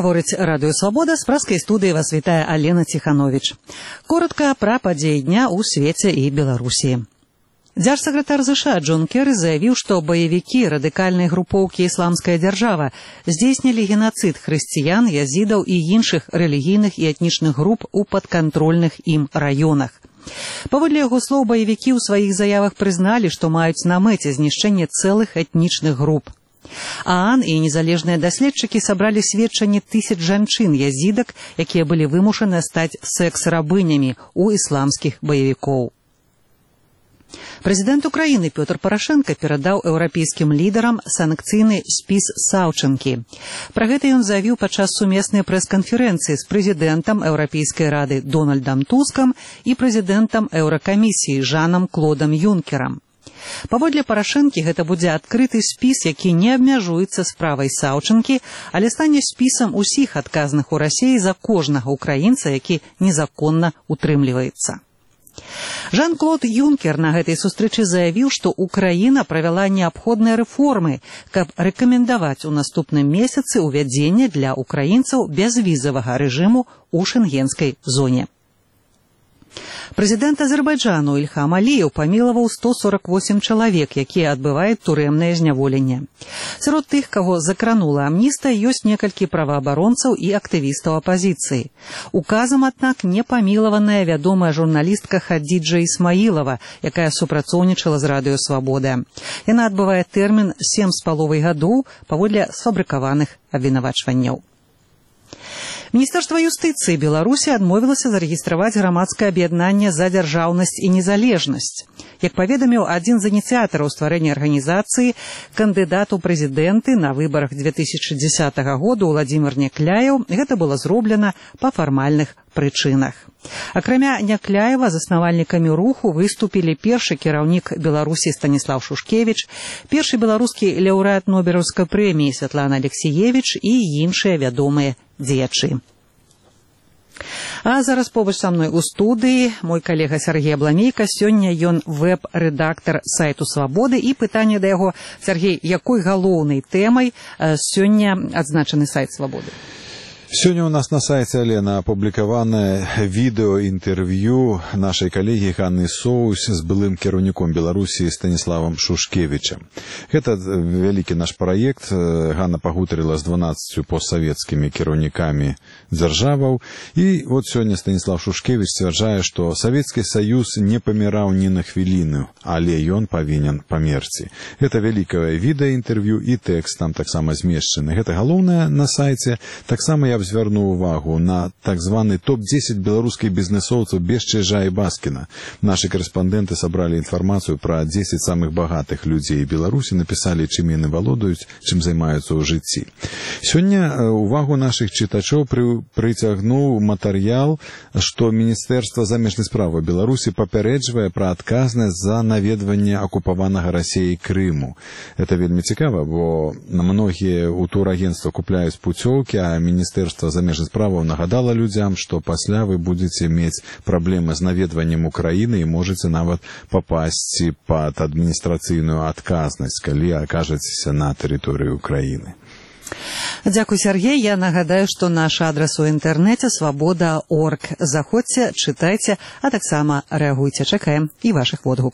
Гаворыць Радыё Свабода, з праскай студыі вас вітае Алена Ціхановіч. Коротка пра падзеі дня ў свеце і Беларусі. Дзяржсакратар США Джон Керры заявіў, што баевікі радыкальнай групоўкі «Ісламская дзяржава» здзейснілі геноцид хрысціян, язідаў і іншых рэлігійных і этнічных груп у падкантрольных ім раёнах. Паводле яго слоў, баевікі ў сваіх заявах прызналі, што маюць на мэце знішчэнне цэлых этнічных груп. ААН і незалежныя даследчыкі сабралі сведчанні тысяч жанчын язідак, якія былі вымушаны стаць секс-рабынямі ў ісламскіх баевікоў. Прэзідэнт Украіны Пётр Парашенка перадаў еўрапейскім лідарам санкцыйны спіс Саўчынкі. Пра гэта ён заявіў падчас сумеснай прэс-канферэнцыі з прэзідэнтам Еўрапейскай рады Дональдам Тускам і прэзідэнтам Еўракамісіі Жанам Клодам Юнкерам. Паводле Парашэнкі гэта будзе адкрыты спіс, які не абмяжуецца справай Саўчынкі, але стане спісам усіх адказных у Расіі за кожнага украінца, які незаконна утрымліваецца. Жан-Клод Юнкер на гэтай сустрэчы заявіў, што Украіна правяла неабходныя рэформы, каб рэкамендаваць у наступным месяцы ўвядзенне для украінцаў бязвізавага рэжыму ў шэнгенскай зоне. Прэзідэнт Азербайджану Ільхам Аліеў памілаваў 148 чалавек, якія адбываюць турэмнае зняволенне. Сярод тых, каго закранула амністыя, ёсць некалькі праваабаронцаў і актывістаў апазіцыі. Указам, аднак, не памілаваная вядомая журналістка Хадзіджа Ісмаілава, якая супрацоўнічала з Радыё Свабода. Яна адбывае тэрмін 7,5 гадоў паводле сфабрыкаваных абвінавачванняў. Міністэрства юстыцыі Беларусі адмовілася зарэгістраваць грамадскае аб'яднанне «За дзяржаўнасць і незалежнасць». Як паведаміў адзін з ініцыятараў стварэння арганізацыі, кандыдат у прэзідэнты на выбарах 2010 году Владзімір Някляеў, гэта было зроблена па фармальных прычынах. Акрамя Някляева, заснавальнікамі руху выступілі першы кіраўнік Беларусі Станіслаў Шушкевіч, першы беларускі лаўрэат Нобелеўскай прэміі Святлана Алексіевіч і іншыя вядомыя дзеячы. А зараз побач са мной у студыі мой калега Сергей Абламейка. Сёння ён вэб-рэдактар сайту Свабоды, і пытанне да яго: Сергей, якой галоўнай тэмай сёння адзначаны сайт Свабоды? Сегодня у нас на сайте, Алена, опубликовано видео-интервью нашей коллеги Ганны Соус с былым кіраўніком Беларуси Станиславом Шушкевичем. Это великий наш проект. Ганна пагутарила с 12 постсоветскими кіраўнікамі дзяржаваў. И вот сегодня Станислав Шушкевич сцвярджае, что Советский Союз не паміраў ни на хвіліну, але ён павінен памерці. Это великое видеоинтервью и текст там так само змешчаны. Это галоўнае на сайте. Так само я звярнуў увагу на так званы топ-10 беларускіх бізнесоўцаў без Чижа і Баскіна. Нашы корэспандэнты сабралі інфармацыю пра 10 самых багатых людзей Беларусі, напісалі, чым яны валодаюць, чым займаюцца ў жыцці. Сёння увагу нашых чытачоў прыцягнуў матэрыял, што Міністэрства замежных справаў Беларусі папярэджвае пра адказнасць за наведванне акупаванага Расіяй Крыму. Это вельмі цікава, бо многія ў турагентства купляюць пуцёўкі, а Міністэрства замежных справаў нагадала людзям, што пасля вы будзеце мець праблемы з наведваннем Украіны і можаце нават папасці пад адміністрацыйную адказнасць, калі акажацеся на тэрыторыі Украіны. Дзякуй, Сергей. Я нагадаю, што наш адрас у інтэрнэце свабода.орг. Заходзьце, чытайце, а таксама рэагуйце. Чакаем і вашых водгукаў.